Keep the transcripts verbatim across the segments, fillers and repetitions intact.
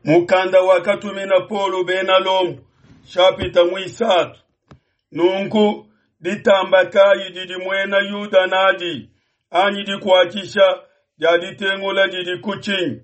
Mukanda wakatumina Paulo bena Lomo, shapita muisatu. Nunku ditamba kayi didi muena Yuda nadi, anyi dikuatshisha dia ditengula didi ku tshinyi?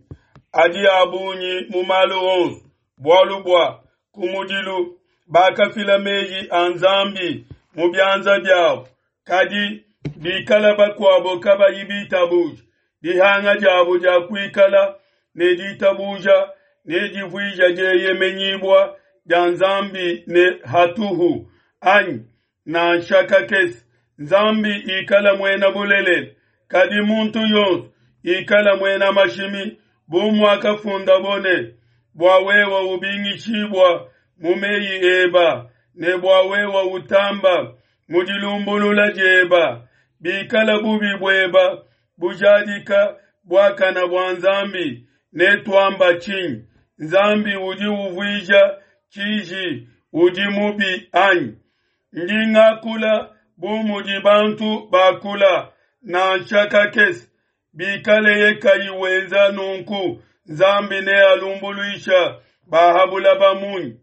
Adi a bungi mu malu onso, bualu bua kumudilu bakafila meyi a Nzambi mu bianza biabo. Kadi bikala bakuabo kabayi bitabuja, dihanga diabo dia kuikala ne ditabuja nedivuija dieyemenyibua dia Nzambi ne hatuhu, anyi? Nansha kakese. Nzambi ikala muena bulelela, kadi muntu yonso ikala muena mashimi, bu muakafundabo ne, Bua wewe ubingishibua mu meyi eba, ne bua wewe utamba mu dilumbulula dieba. Bikala bubi bueba bujadika buakana bua Nzambi, netuamba tshinyi? Nzambi udi uvuija tshiji udi mubi, anyi? Ndi ngakula bu mudi bantu bakula, nansha kakese. Bikaleye kayi wenza nunku, Nzambi nealumbuluisha ba ha bulaba munyi?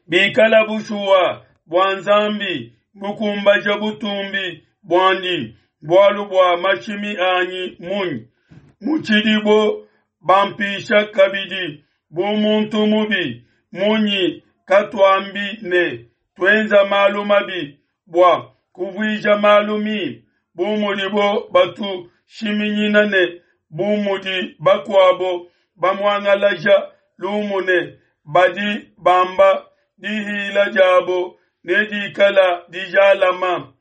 Bikala bushuwa bua Nzambi bukumbaja butumbi buandi, bualu bua mashimi anyi munyi? Mutshidibo bampisha kabidi bu muntu mubi munyi? Katuambi ne, Tuenza malu mabi bua kuvuija malu mimpe, bu mudibo batushiminyina ne bu mudi bakuabo bamuangalaja lumu ne, Badi bamba dihila diabo nedikala dijalama.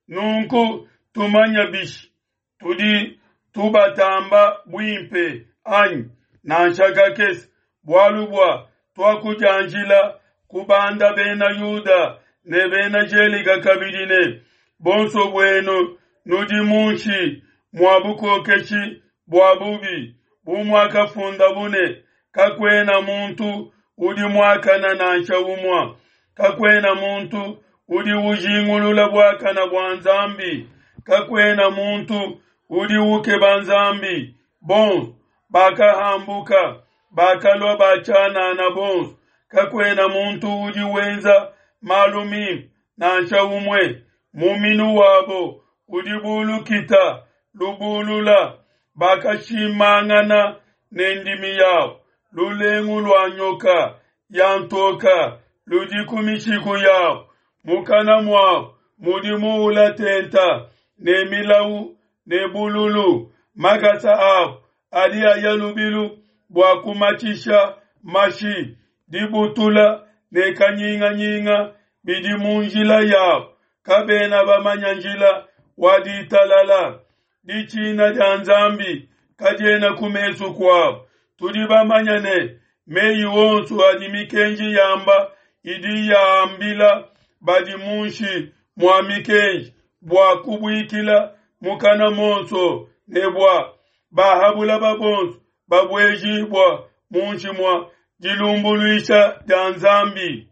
Nunku tumanya bishi? Tudi tubatamba buimpe, anyi? Nansha kakese! Bualu bua tuakudianjila kubanda Bena Yuda ne Bena Gelika kabidi ne, Buonso buenu nudi munshi mua bukokeshi bua bubi, bu muakafundabo ne, Kakuena muntu udi muakana, nansha umue, kakuena muntu udi ujingulula buakana bua Nzambi, kakuena muntu udi ukeba Nzambi. Bonso bakahambuka, bakalua ba tshianana bonso, kakuena muntu udi wenza malu mimpe, nansha umue. Muminu wabo udi bu lukita lubulula, bakashimangana ne ndimi yabo. Lulengu lua nyoka ya ntoka ludi ku mishiku yabo, mukana muabo mudi muula tenta ne milau ne bululu. Makasa abo adi aya lubilu bua kumatshisha mashi, dibutula ne kanyinganyinga bidi mu njila yabo. Kabena bamanya njila wa ditalala. Ditshina dia Nzambi kadiena ku mesu kuabo. Tudi bamanya ne, meyi onso adi mikenji yamba idi yambila badi munshi mua mikenji, bua kubuikila mukana monso ne bua bahabulaba bonso babuejibua munshi mua dilumbuluisha dia Nzambi.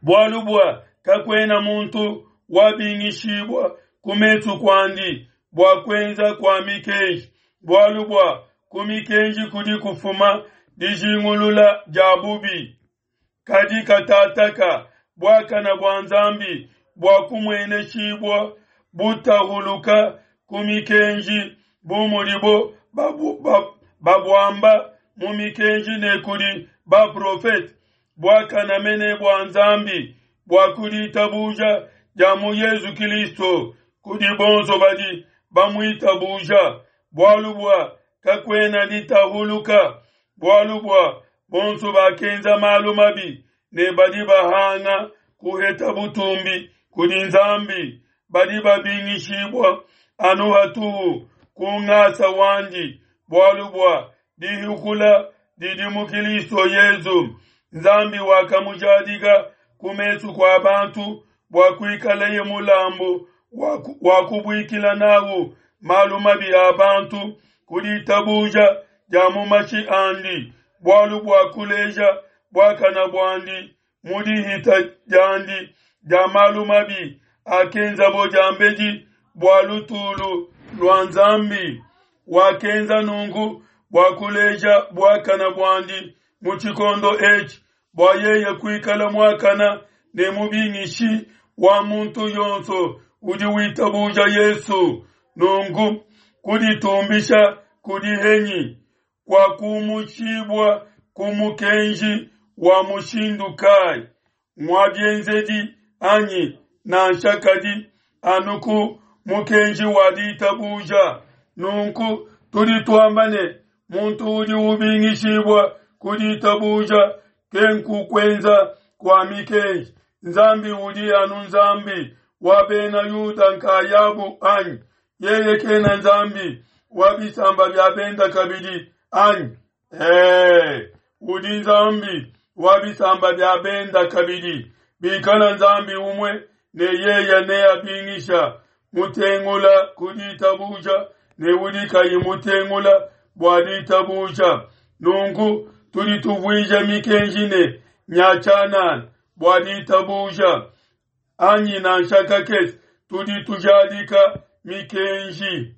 Bualu bua kakuena muntu wabingishibua ku mesu kuandi bua kuenza kua mikenji, bualu bua ku mikenji kudi kufuma dijingulula dia bubi. Kadi katataka buakana bua Nzambi bua kumueneshibua butahuluka ku mikenji, bu mudibo babuamba mu mikenji ne kudi baprofete, buakana mene bua Nzambi bua ku ditabuja dia mu Yesu Kilisto kudi bonso badi bamuitabuja. Bualu bua kakuena ditahuluka, bualu bua bonso bakenza malu mabi ne badi bahanga kuheta butumbi kudi Nzambi, badi babingishibua anu hatuhu ku ngasa wandi, bualu bua dihukula didi mu Kilisto Yesu. Nzambi wakamujadika ku mesu kua bantu bua kuikaleye mulambu wa kubuikila nawu malu mabi a bantu ku ditabuja dia mu mashi andi, bualu bua kuleja buakana buandi mu dihita diandi dia malu mabi akenzabo diambedi bua lutulu lua Nzambi. Wakenza nunku bua kuleja buakana buandi mu tshikondo etshi, bua yeye kuikala muakana ne mubingishi wa muntu yonso udi witabuja Yesu. Nunku kuditumbisha kudi henyi? Kuakumushibua ku mukenji wa mushindu kai? Ngua bienzedi anyi? Nansha, kadi anu ku mukenji wa ditabuja. Nunku tudi tuamba ne, Muntu udi ubingishibua ku ditabuja, kenku kuenza kua mikenji. Nzambi udi anu Nzambi wa bena Yuda nkayabu anyi? Yeye kena Nzambi wa bisamba bia benda kabidi anyi? Ee, udi Nzambi wa bisamba bia benda kabidi. Bikala Nzambi umue ne yeye neabingisha mutengula ku ditabuja ne udi kayi mutengula bua ditabuja. Nunku tudi tuvuija mikenji ne nya tshianana bua ditabuja anyi? Nansha kakese! Tudi tujadika mikenji.